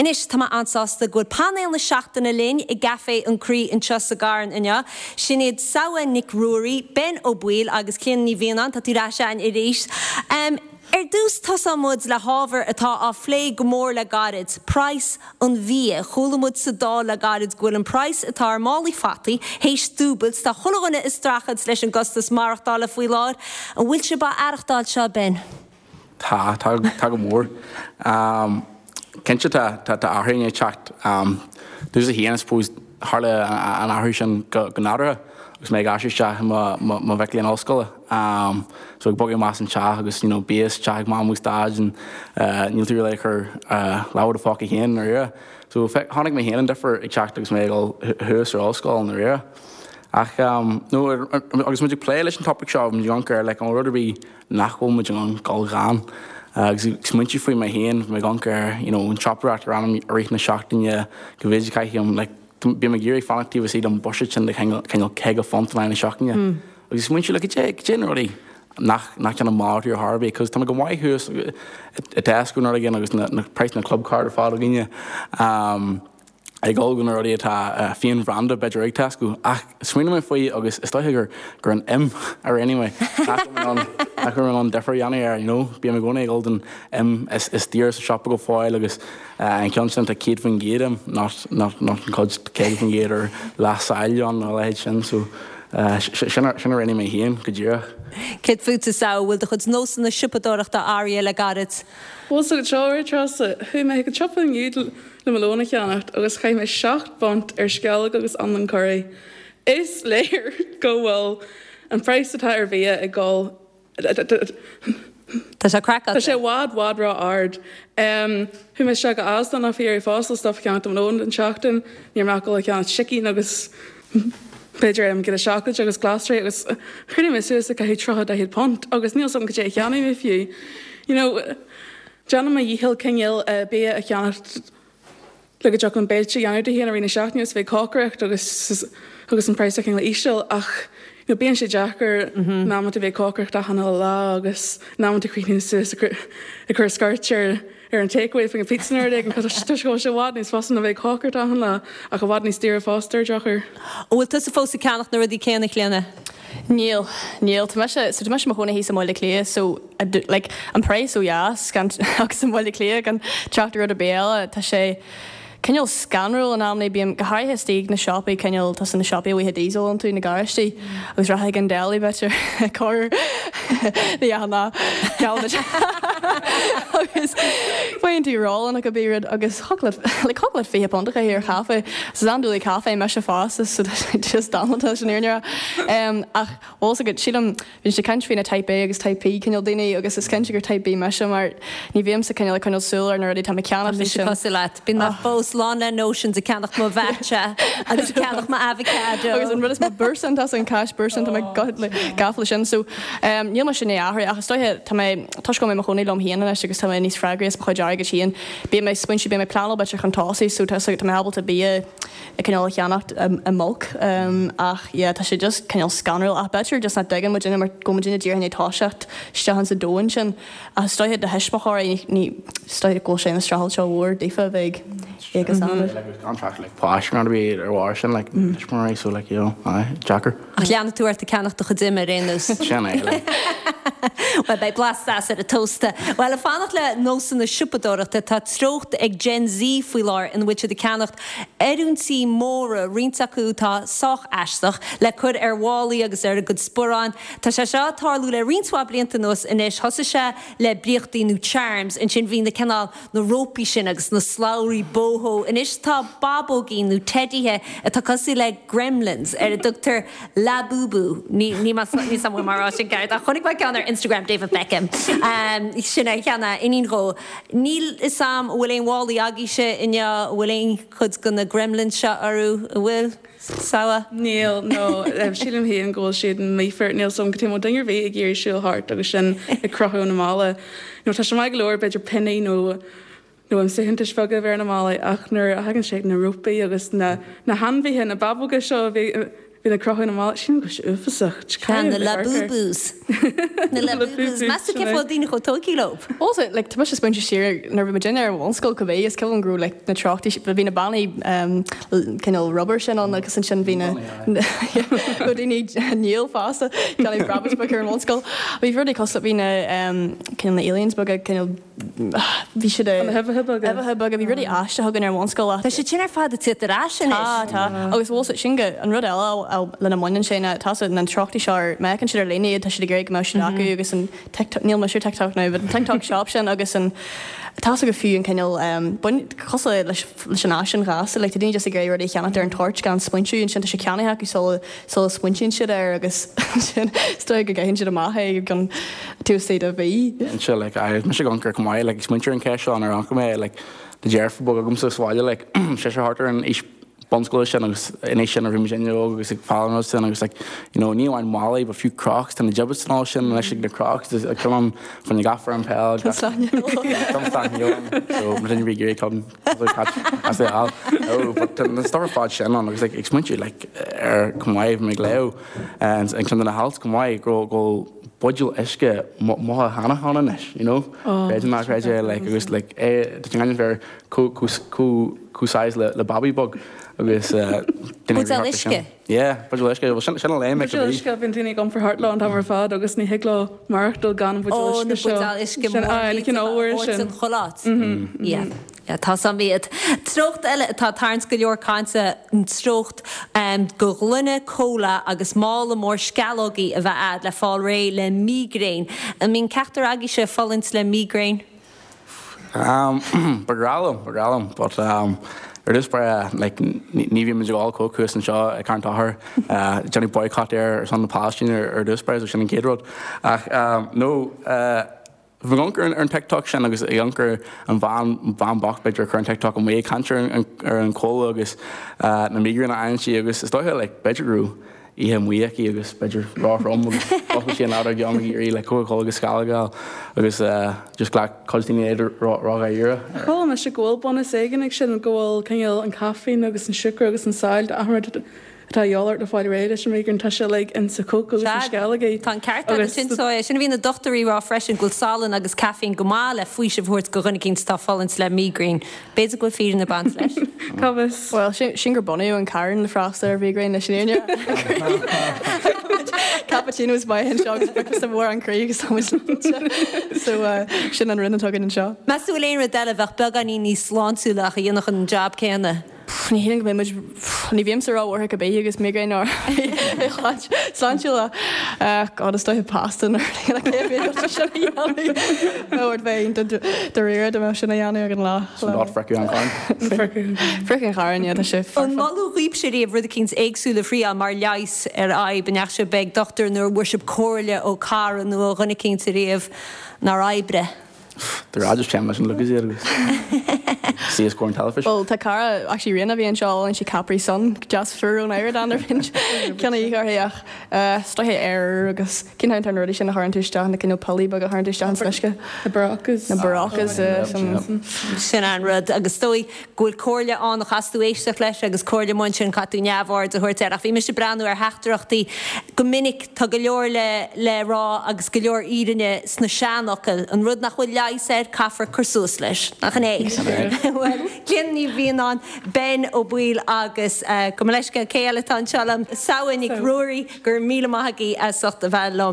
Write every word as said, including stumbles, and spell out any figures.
Anois tá mé an-sásta go bhfuil painéal na seachtaine linn i gCaifé an Chroí anseo sa gCarn inniu. Sin iad Samha Nic Ruairí, Ben Ó Baoill agus Clíona Ní Mhianáin tá tú ar ais arís. Um, Ar dtús tosóidh muid le hábhar atá á phlé go mór le gairid, praghas an bhia. Chuala muid sa Dáil le gairid go bhfuil an praghas atá ar málaí fataí, théis dúbailt tá chuile dhuine ag streachailt leis an gcostas maireachtála faoi láthair, an bhfuil sibh á aireachtáil seo Ben. Tá tá tá go mór. Um, Cinnte tá tá athrú ag teacht um, Dús a híana suppose tharla an athrú sin go nádúrtha agus mé ag aistriú isteach mo mhic léinn ollscoile. Um, so ag bogadh amach as an teach agus you know, bíos teach ag mam agus dad and uh, níl tú le chur uh, lámh i do phóca féin ar So tháinig mé féin an difear ag teacht agus mé ag dul thuas ar ollscoil na ri. Ach um, no, agus muid ag plé leis an topic seo an ar le an rud a bhí nach bhfuil muid an gal gan. agus smaointe faoi mé féin mé gan ar you know, an siopadóireacht ar anam i rith na seachtaine go bhféidir caiim like, bí me géirí fanachtíh sí an budget sin de cineál caoga punt na seachtaine. Agus smaointe le go dé rudaí nach nach an má ar Harvey, cos tá go maith thuas i Tesco nó again agus na, na price na club card ar fad againne. Um, ag dul go na rudaí atá féin bhranda b'fhéidir ag Tesco ach smaoiním mé faoi agus is dócha gur gur an im ar anyway nach an difear dhéanamh ar you know bí me gcónaí ag dul den im is is daor sa siopa go fóill agus an ceann sin tá céad faoin gcéad im nach nach an chuid caoga faoin gcéad ar leath-sail an a leithéid sin so sin a rinne mé féin go díreach. Céard fútsa a bhfuil do chuid nósanna siopadóireachta athraithe le gairid. Well so seo Treasa chuaigh mé go siopa inniu le mo lón a cheannacht agus chaith mé seacht bpunt ar sceallóg agus anlann curry. Is léir go bhfuil an praghas atá ar bhia ag dul Tá sé craiceáilte. Tá sé i bhfad i bhfad ró-ard. Um, Chuaigh mé isteach go Asda nach fi ar fásil stuff ceann am lón an seachtain, níor me go ceann chicken agus b'fhéidir am go seachad agus glasraí agus chuir mé suas a caithfidh tríocha daichead punt agus níl sam go dé cheannaigh mé fiú. You know, Déanaim mo dhícheall cineál uh, bia a cheannacht le go dtiocfaidh béilte dhéanamh de héana rinne seachtain agus bheith cócaireacht agus agus an praghas cineál íseal ach you know, bíonn sé deacair in amanta bheith cócaireacht achan lá agus in amanta críní suas ag cur scairt ar ar an takeaway fan pizza nó ag tá go sé i bhfad níos fusa a bheith cócaireacht achan lá ach i bhfad níos daoire fosta ar drochuair. An bhfuil tusa fós ag ceannach na rudaí céanna Clíona? Níl níl tá mise so tá mise i mo chónaí thíos i mBaile Átha Cliath so like an praghas ó dheas gan agus an Bhaile Átha Cliath gan trácht rud ar bith eile tá sé cineál scanrúil in amanna bím go háirithe istigh na siopaí cineál tá na siopaí bhíthe diesel iontu na garáistí agus rachaidh an deli b'fhéidir cor ná agus faigheann tú roll go bí agus chocolate like chocolate fiche punt a ar caife so andúlaí caife me fásta so just damanta sin airne um, ach also go sílim bhíonn sé caint faoi na type A agus type B cineál daoine agus is cinnte gur type B mise mar ní bhím sa cineál cineál súil ar na rudaí tá mé ceannach Mise cosúil leat. Bíonn mé fós lán le notions ag ceannach mo matcha agus ag ceannach mo avocado. Agus an rud is mo Boursin tá an cash Boursin tá mé gafa sin so um, níl mar sin é athrú ach is dóiche tá mé toisc go mé mo chónaí liom féin anois agus tá mé níos freagraí as mo chuid airgid féin. Bím mé smaointe bím mé pleanáil b'fhéidir chun tosaigh so tá tá mé ábalta bia a cineál a cheannacht i mbulk um, ach yeah, tá sé just cineál scanrúil ach b'fhéidir just nach dtuigeann muid mar go muid díreach toiseacht isteach an sa domhan sin ach is dóiche do thuismitheoirí ní is dóiche go bhfuil sé ina streachailt seo mhór daofa bheidh agus an. Contract like páis ar bhí ar bharr sin like mm. so like you know aye deacair. Ach leanfaidh tú ort ag ceannach do chuid im ar aon nós. Sin é like. Well beidh blas deas ar an tósta. Well ag fanacht le nósanna siopadóireachta tá treocht ag Gen Z faoi láthair ina bhfuil siad ag ceannacht oiriúintí móra roinnt acu tá sách aisteach le cur ar mhálaí agus ar a gcuid sparán. Tá sé seo ag tarlú le roinnt mhaith blianta anuas anois thosaigh sé le briochtaí nó charms ansin bhí na cineál na rópaí sin agus na slabhraí boho. Anois tá bábógaí nó teidithe atá cosúil le gremlins ar a dtugtar Labubu ní ní ní sam mar sin ceart a chonaic mé ceann ar Instagram David Beckham. Um, sin é cheana iníon dhó. Níl a fhios agam bhfuil aon mhálaí agaibhse inniu bhfuil aon chud go na gremlins seo orthu a bhfuil Samha? Níl nó sílim féin go bhfuil siad mífear níl sam go tí duine ar bith ag iarraidh siúl thart agus sin ag crochadh na mála. Nó tá sé maith go leor b'fhéidir pionnaí nó nó an suaitheantais bheaga bheith na mála ach nuair a thagann sé na rópaí agus na na hainmhithe na bábóga seo a bhí bhíonn ag crochadh na málaí, sílim go bhfuil sé uafásach. Tá na Labubus. Na Labubus. Meas tú cén fáth daoine chomh tógtha leo? Also, like, tá mise ag smaointiú siar nuair a bhí muidinne ar an bhunscoil cibé, is cuimhin liom go raibh like, na treochtaí, bhí na bannaí um, cineál rubber sin ann agus ansin bhí na bhí daoine níl fosta ceannaigh rabbits beag ar an bhunscoil. Bhí rudaí cosúil bhí na um, cineál na aliens beaga cineál bhí siad Na huibheacha beaga. Uibheacha beaga, bhí rudaí aisteacha againn ar an bhunscoil ach Tá siad sin ar fad ag teacht ar ais anois. Tá, tá. Agus bhfuil sin go an rud eile lena mbaineann sé ná tá na treochtaí seo ar má fheiceann siad ar líne iad tá siad ag iarraidh go mbeadh siad acu agus an TikTok níl mise ar TikTok now, but an TikTok shop sin agus an tá go fiú an cineál um, bain cosúil leis leis an fhaisean ghasta, like, tá daoine just ag iarraidh rudaí a cheannacht ar an toirt gan smaointiú ansin tá sé ceannaithe acu sula sula smaointíonn siad air agus sin is dóigh go gcaitheann siad amach é gan tús a bhí. Anseo like I mise ag amharc chomh maith like ag smaointiú ar an cheist seo nuair a amharc mé like tá deirfiúr beag agamsa sa bhaile like sé sé thart ar an aois bunscoile sin agus in aois sin a bhí muid óg agus ag foghlaim rud sin agus like you know ní amháin málaí but fiú Crocs tá na Jibbitz and all sin anois ag na Crocs ag cun fan na gafar an peil so mar duine bhí ag iarraidh as é all oh but na stuff ar fad sin ann agus like ag smaointiú like ar chomh maith bhí mé ag léamh and an ceann de na hailt chomh maith go go buidéal uisce maith cheana ann anois you know Creid ná creid é like agus like é tá an bheith có size le le baby beag agus Buidéal uisce? Yeah, buidéal uisce well sin sin a léim Buidéal uisce bíonn daoine ag iompar thart leo an t-am ar fad agus ní thig leo maireachtáil gan an buidéal Ó, na uisce seo. buidéal uisce Sin ah, na cineál úr sin. an choláit. Yeah. Yeah, tá sam iad. Treocht eile atá ag tarraingt go leor cainte an treocht um, go gloine cola agus mála mór sceallógaí a bheith agat le fáil réidh le mígréin. An mbíonn ceachtar agaibhse ag fulaingt le mígréin? Um, ba ghnách liom, ba ghnách liom, but um, ar dtús báire like ní ní bhí muid ag ól Coke thuas anseo ag Carn Tochair, uh, déanamh boycott ar ar son na Palestine ar ar dtús báire, so sin an chéad rud. Ach um, no, uh, bhí amharc ar an TikTok sin agus ag amharc ar an bhean bhean bocht b'fhéidir ag cur an TikTok amuigh ag caint ar an ar an cola agus uh, na mígréin a fhaigheann sí agus is dóiche like b'fhéidir go raibh oíche amuigh aici agus b'fhéidir róthrom agus d'oscail sí an leabhar geom ag iarraidh le Coca-Cola agus sceallóga agus uh, just ghlac cuid daoine iad ró-dháiríre. Chuala mise go bhfuil bunús éigin ag sin go bhfuil cineál an caifín agus an siúcra agus an saill achan rud atá de dhíth ort le fáil réidh leis an migraine tá sé like in sa Coke agus na sceallógaí. Tá an ceart agus sin so é sin a bhí na dochtúirí rá freisin go bhfuil salann agus caifín go maith le faoiseamh a thabhairt go dhuine éicint atá ag fulaingt le mígréin. B'fhéidir go bhfuil fírinne ag baint leis. Cá bhfios. Well, sin sin gur bunaíodh an carn le freastal ar mhígréin leis an fhírinne. Cappuccino is maith anseo agus breakfast mhór an croí agus tá muid So uh, sin an rud atá againn anseo. Meas tú bhfuil aon rud eile bheadh beagáinín níos sláintiúla ach a dhéanfadh an job céanna. Ní hína go mbeidh ní bhímsa ró-bhuartha go bé agus migraine ar sláintiúla God is dóiche pasta nuair sin a dhéanamh bheith de réir de sin a dhéanamh ag an lá. Not fricú an carn. Fric an chairn tá sé An moladh dhaoibhse riamh rud éicint éagsúil a thriail mar leigheas ar fhadhb an ndeachaigh sibh ag dochtúir nó bhfuair sibh comhairle ó chara nó ó dhuine éicint riamh nár oibrigh. De ráidir sem leis an Lucas agus sí is an teilifís. Well tá cara actually Riana bhí anseo an sí Capri Sun just fuair ón air ar fin ceanna ach stoithe air agus cinn an rudaí sin a chuireann tú isteach na cineál piollaí beaga a chuireann tú isteach an uisce. Na Berocca. Na Berocca Sin an rud agus dóigh go bhfuil comhairle ann a chaithfidh tú éisteacht leis agus comhairle mar sin caithfidh tú neamhaird a thabhairt air ach bhí mise ag breathnú ar theachtaireachtaí go minic tá go leor le le rá agus go leor fírinne sna seanfhocail an rud nach bhfuil leigheas air caithfear cur suas leis nach é Well Clíona Ní Mhianáin Ben Ó Baoill agus uh, go leisce cé eile tá anseo liom Samhain Nic Ruairí gur míle maith agaibh as ucht a bheith liom